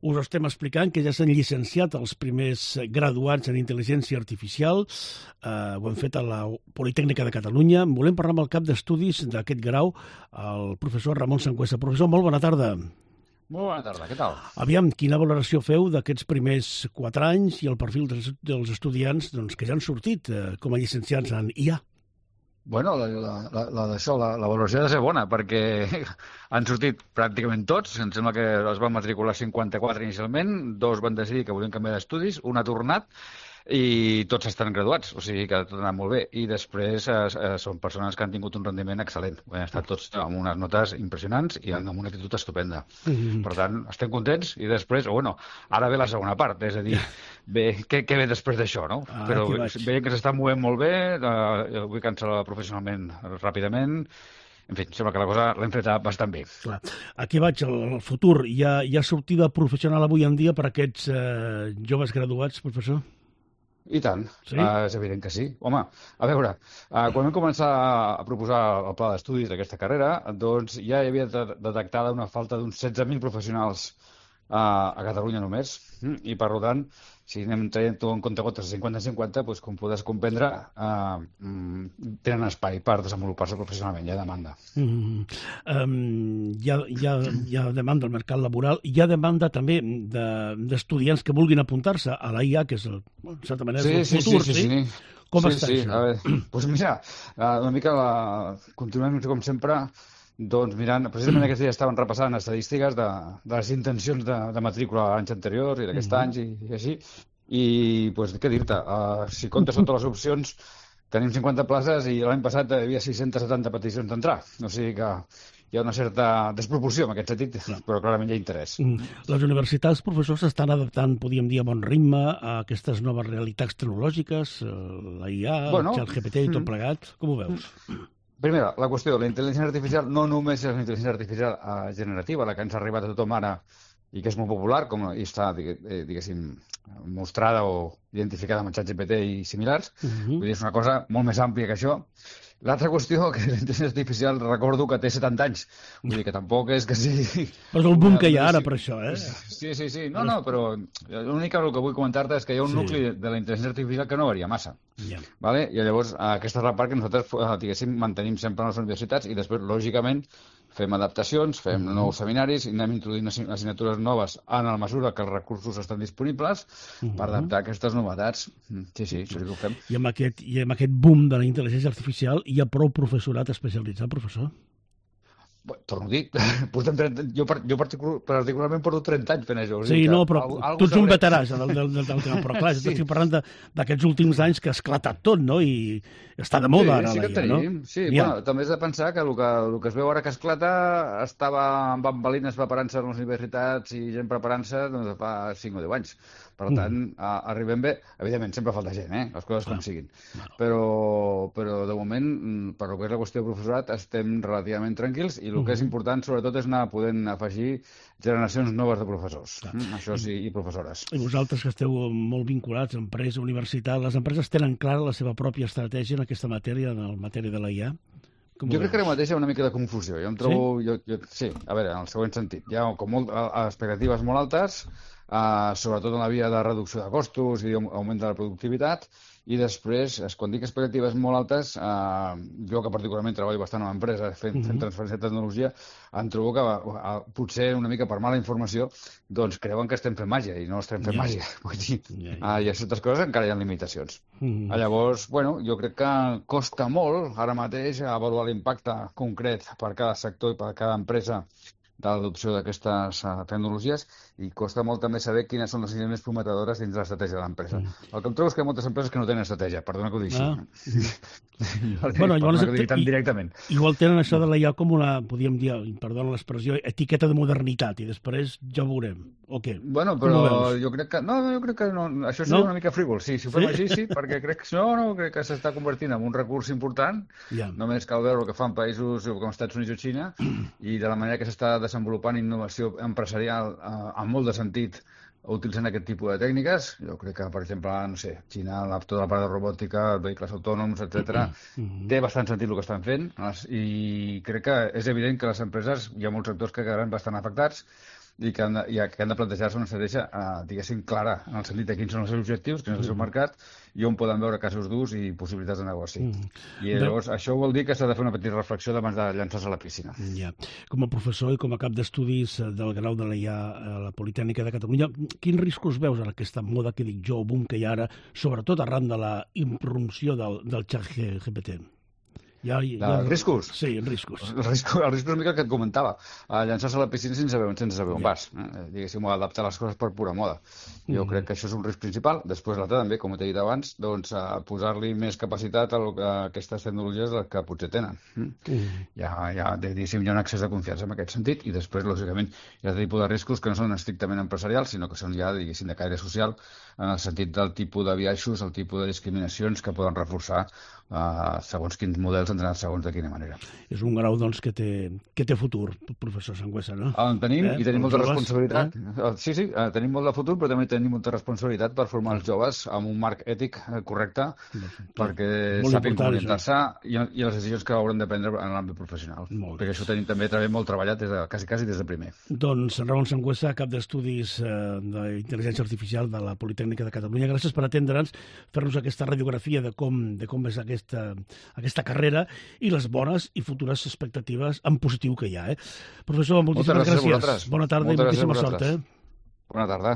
us estem explicant que ja s'han llicenciat els primers graduats en intel·ligència artificial. Ho hem fet a la Politècnica de Catalunya. Volem parlar amb el cap d'estudis d'aquest grau, el professor Ramon Sangüesa. Professor, molt bona tarda. Molt bona tarda, què tal? Aviam, quina valoració feu d'aquests primers 4 anys i el perfil dels estudiants que ja han sortit com a llicenciats en IA? Bueno, la valoració ha de ser bona, perquè han sortit pràcticament tots. Em sembla que es van matricular 54 inicialment, 2 van decidir que volien canviar d'estudis, un ha tornat, i tots estan graduats, o sigui que tot ha anat molt bé. I després són persones que han tingut un rendiment excel·lent. Han estat tots amb unes notes impressionants i amb una actitud estupenda. Per tant, estem contents i després, ara ve la segona part, és a dir, què ve després d'això, no? Però veiem que s'està movent molt bé, vull cancel·lar professionalment ràpidament. En fi, sembla que la cosa l'hem fet bastant bé. Clar. Aquí vaig, al futur. Hi ha sortida professional avui en dia per a aquests joves graduats, professor? I tant, sí? És evident que sí. Home, a veure, quan vam començar a proposar el pla d'estudis d'aquesta carrera, doncs ja hi havia detectada una falta d'uns 16.000 professionals a Catalunya només, i per tant, si anem traient tot en compte gotes de 50-50, doncs, com podràs comprendre, tenen espai per desenvolupar-se professionalment, hi ha demanda. Hi ha demanda al mercat laboral, hi ha demanda també d'estudiants que vulguin apuntar-se a la IA, que és, en certa manera, el futur, sí? Com està això? A veure, doncs mira, una mica continuem, com sempre, doncs mirant, precisament aquests dies estaven repassant estadístiques de les intencions de matrícula anys anteriors i d'aquest any i així, i doncs què dir-te, si comptes totes les opcions tenim 50 places i l'any passat hi havia 670 peticions d'entrar, o sigui que hi ha una certa desproporció en aquest sentit, però clarament hi ha interès. Les universitats, professors, s'estan adaptant, podríem dir, a bon ritme a aquestes noves realitats tecnològiques, la IA, el ChatGPT i tot plegat, com ho veus? Primera, la qüestió, la intel·ligència artificial no només és la intel·ligència artificial generativa, la que ens ha arribat a tothom ara i que és molt popular, i està, diguéssim, mostrada o identificada amb el ChatGPT i similars. Vull dir, és una cosa molt més àmplia que això. L'altra qüestió, que la intel·ligència artificial, recordo que té 70 anys. Vull dir que tampoc és que sigui... Però és el boom que hi ha ara per això, eh? Sí. No, però l'únic que vull comentar-te és que hi ha un nucli de la intel·ligència artificial que no varia massa. Vale? I llavors, aquesta és la part que nosaltres, diguéssim, mantenim sempre a les universitats i després, lògicament, fem adaptacions, fem nous seminaris i anem introduint assignatures noves en la mesura que els recursos estan disponibles per adaptar aquestes novetats. Sí, això sí que ho fem. I amb aquest boom de la intel·ligència artificial hi ha prou professorat especialitzat, professor? Torno a dir, jo particularment porto 30 anys fent això. Sí, no, però tu ets un veterà del tema, però clar, estic parlant d'aquests últims anys que ha esclatat tot, no? I està de moda ara la IA, no? Sí, també has de pensar que el que es veu ara que esclata estava amb bambalines preparant-se a les universitats i gent preparant-se fa 5 o 10 anys. Per tant, arribem bé. Evidentment, sempre falta gent, les coses com siguin. Però de moment, per lo que és la qüestió de professorat, estem relativament tranquils i el que és important, sobretot, és anar podent afegir generacions noves de professors. Això sí, i professores. I vosaltres que esteu molt vinculats a empresa, universitat, les empreses tenen clara la seva pròpia estratègia en aquesta matèria, en la matèria de la IA? Jo crec que ara mateix hi ha una mica de confusió. Jo em trobo... Sí, a veure, en el següent sentit. Hi ha com expectatives molt altes, sobretot en la via de reducció de costos i augment de la productivitat, i després, quan dic expectatives molt altes, jo que particularment treballo bastant en empresa fent transferència de tecnologia, em trobo que potser una mica per mala informació doncs creuen que estem fent màgia i no estem fent màgia. Vull dir, i a certes coses encara hi ha limitacions. Llavors, jo crec que costa molt ara mateix avaluar l'impacte concret per cada sector i per cada empresa de l'adopció d'aquestes tecnologies i costa molt també saber quines són les línies més prometedores dins de l'estratègia de l'empresa. El que em trobo és que hi ha moltes empreses que no tenen estratègia, perdona que ho digui així. Perdona que ho digui tan directament. Igual tenen això de la IA com una, podríem dir, perdona l'expressió, etiqueta de modernitat i després ja ho veurem, o què? Bueno, però jo crec que no, això seria una mica frívol, sí, si ho fem així, sí, perquè crec que s'està convertint en un recurs important, només cal veure el que fan països com Estats Units o Xina i de la manera que s'està desenvolupant innovació empresarial amb molt de sentit utilitzant aquest tipus de tècniques. Jo crec que, per exemple, no sé, Xina, tota la part de robòtica, vehicles autònoms, etc., té bastant sentit el que estan fent i crec que és evident que les empreses, hi ha molts sectors que quedaran bastant afectats i que han de plantejar-se una estratègia, diguéssim, clara, en el sentit de quins són els seus objectius, quin és el seu mercat, i on poden veure casos d'ús i possibilitats de negoci. I llavors això vol dir que s'ha de fer una petita reflexió abans de llançar-se a la piscina. Ja. Com a professor i com a cap d'estudis del grau de l'EIA a la Politècnica de Catalunya, quins riscos veus en aquesta moda que dic jo, boom que hi ha ara, sobretot arran de la irrupció del xat GPT? Riscos? Sí, riscos. El risc és una mica el que et comentava. Llançar-se a la piscina sense saber on vas. Diguéssim, adaptar les coses per pura moda. Jo crec que això és un risc principal. Després l'altre també, com t'he dit abans, doncs posar-li més capacitat a aquestes tecnologies que potser tenen. Hi ha un excés de confiança en aquest sentit, i després, lògicament, hi ha tipus de riscos que no són estrictament empresarials, sinó que són ja, diguéssim, de caire social, en el sentit del tipus de biaixos, el tipus de discriminacions que poden reforçar segons quins models entrar segons de quina manera. És un grau, doncs, que té futur, professor Sangüesa, no? En tenim, i tenim molta responsabilitat. Sí, tenim molt de futur, però també tenim molta responsabilitat per formar els joves amb un marc ètic correcte, perquè sàpiguen orientar-se i les decisions que hauran de prendre en l'àmbit professional. Perquè això també treballem molt treballat quasi des de primer. Doncs Ramon Sangüesa, cap d'estudis d'intel·ligència artificial de la Politècnica de Catalunya, gràcies per atendre'ns, fer-nos aquesta radiografia de com és aquesta carrera i les bones i futures expectatives en positiu que hi ha. Professor, moltíssimes gràcies. Bona tarda i moltíssima sort. Bona tarda.